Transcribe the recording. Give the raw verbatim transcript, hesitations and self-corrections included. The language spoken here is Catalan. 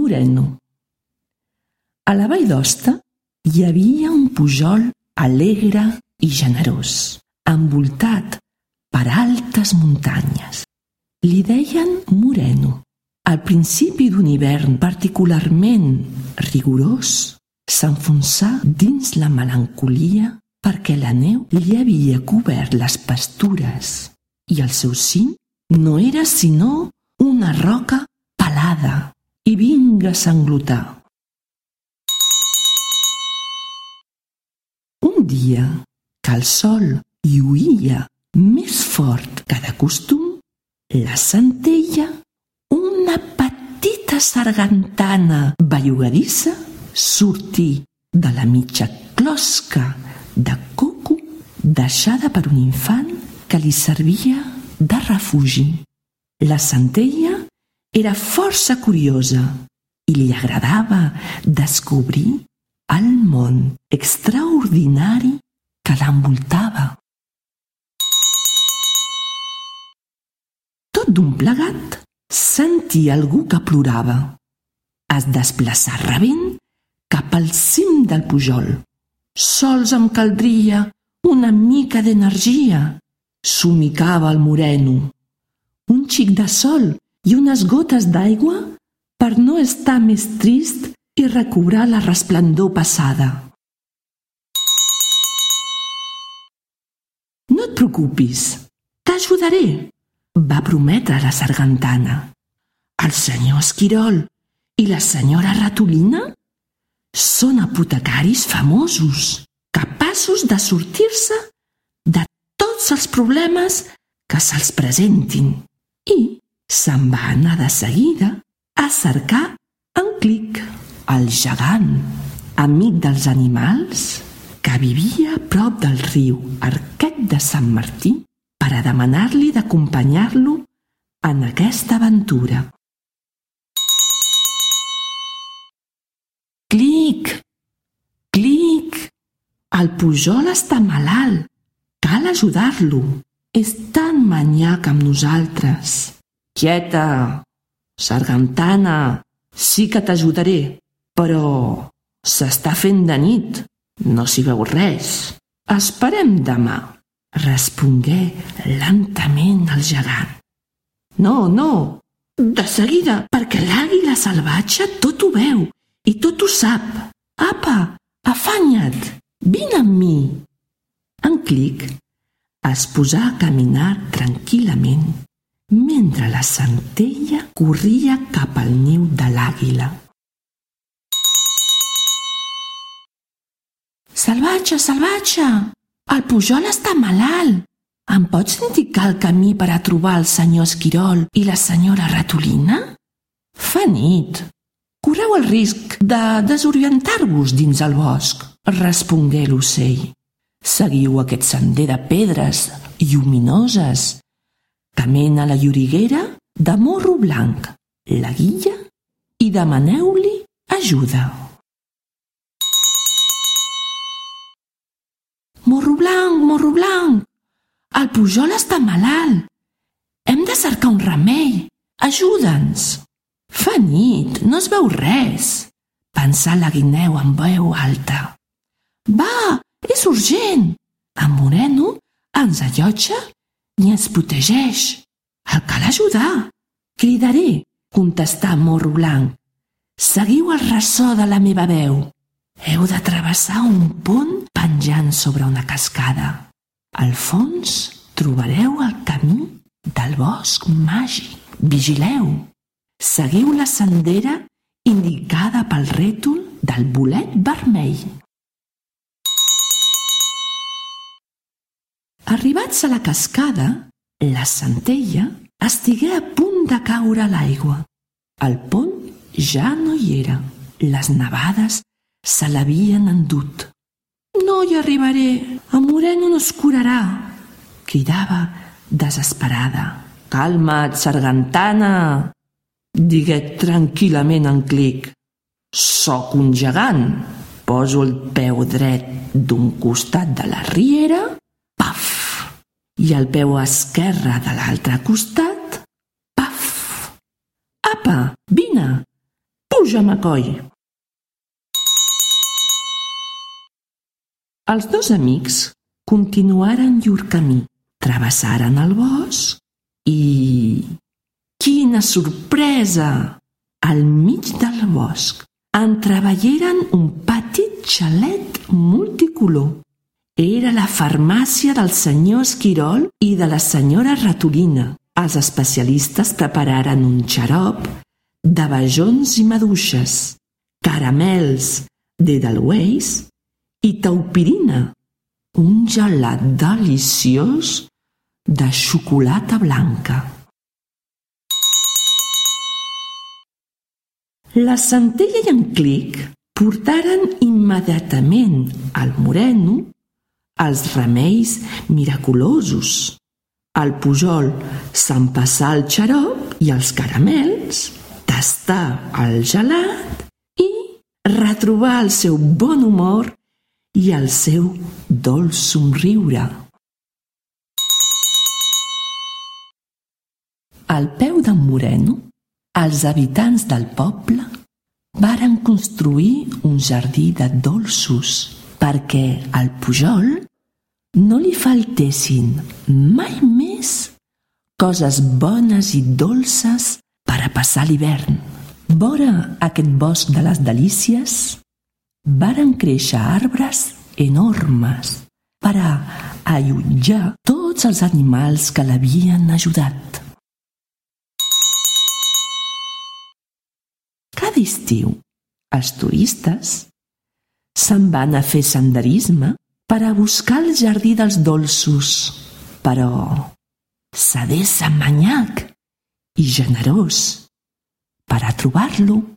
Moreno. A la vall d'Hoste hi havia un pujol alegre i generós, envoltat per altes muntanyes. Li deien Moreno. Al principi d'un hivern particularment rigorós, s'enfonsà dins la melancolia perquè la neu li havia cobert les pastures i el seu cim no era sinó una roca pelada i vinga a sanglotar. Un dia que el sol lluïa més fort que de costum, la centella, una petita sargantana bellugadissa, sortí de la mitja closca de coco deixada per un infant que li servia de refugi. La centella era força curiosa i li agradava descobrir el món extraordinari que l'envoltava. Tot d'un plegat, sentia algú que plorava. Es desplaçà rabent cap al cim del pujol. Sols em caldria una mica d'energia, somicava el Moreno. Un xic de sol i unes gotes d'aigua per no estar més trist i recobrar la resplendor passada. No et preocupis, t'ajudaré, va prometre la sargantana. El senyor Esquirol i la senyora Ratolina són apotecaris famosos, capaços de sortir-se de tots els problemes que se'ls presentin. I se'n va anar de seguida a cercar en Clic, el gegant, amic dels animals, que vivia a prop del riu Arquet de Sant Martí, per a demanar-li d'acompanyar-lo en aquesta aventura. Clic, Clic, el pujol està malalt, cal ajudar-lo. És tan manyac amb nosaltres. Quieta, sargantana, sí que t'ajudaré, però s'està fent de nit, no s'hi veu res. Esperem demà, respongué lentament el gegant. No, no, de seguida, perquè l'àguila salvatge tot ho veu i tot ho sap. Apa, afanya't, vine amb mi. En Clic es posà a caminar tranquil·lament mentre la centella corria cap al niu de l'àguila. Salvatge, salvatge, el pujol està malalt. Em pots indicar el camí per a trobar el senyor Esquirol i la senyora Ratolina? Fa nit. Correu el risc de desorientar-vos dins el bosc, respongué l'ocell. Seguiu aquest sender de pedres lluminoses que mena a la lloriguera de Morro Blanc, la guia, i demaneu-li ajuda. Morro Blanc, Morro Blanc, el pujol està malalt. Hem de cercar un remei. Ajuda'ns. Fa nit, no es veu res, pensà la guineu amb veu alta. Va, és urgent! En Moreno ens allotja i ens protegeix. El cal ajudar. Cridaré, contestà Morro Blanc. Seguiu el ressò de la meva veu. Heu de travessar un pont penjant sobre una cascada. Al fons trobareu el camí del bosc màgic. Vigileu. Seguiu la sendera indicada pel rètol del bolet vermell. Arribats a la cascada, la centella estigué a punt de caure a l'aigua. El pont ja no hi era. Les nevades se l'havien endut. No hi arribaré, en Moreno no es curarà, cridava desesperada. Calma't, sargantana, digué tranquil·lament en Clic. Soc un gegant. Poso el peu dret d'un costat de la riera, paf, i el peu esquerre de l'altre costat, paf. Apa, vine, pum! Puja, McCoy. Els dos amics continuaren llur camí, travessaren el bosc i... Quina sorpresa! Al mig del bosc entreveieren un petit xalet multicolor. Era la farmàcia del senyor Esquirol i de la senyora Ratolina. Els especialistes prepararen un xarop d'abajons i maduixes, caramels d'Edelweiss i taupirina, un gelat deliciós de xocolata blanca. La Centella i en Clic portaren immediatament al Moreno els remeis miraculosos. El Pujol s'empassà el xarop i els caramels, tastà el gelat i retrobà el seu bon humor i el seu dolç somriure. Al peu d'en Moreno, els habitants del poble varen construir un jardí de dolços perquè al Pujol no li faltessin mai més coses bones i dolces per a passar l'hivern. Vora aquest bosc de les delícies varen créixer arbres enormes per a allotjar tots els animals que l'havien ajudat. Cada estiu, els turistes se'n van a fer senderisme per a buscar el jardí dels dolços, però s'ha de ser manyac i generós per a trobar-lo.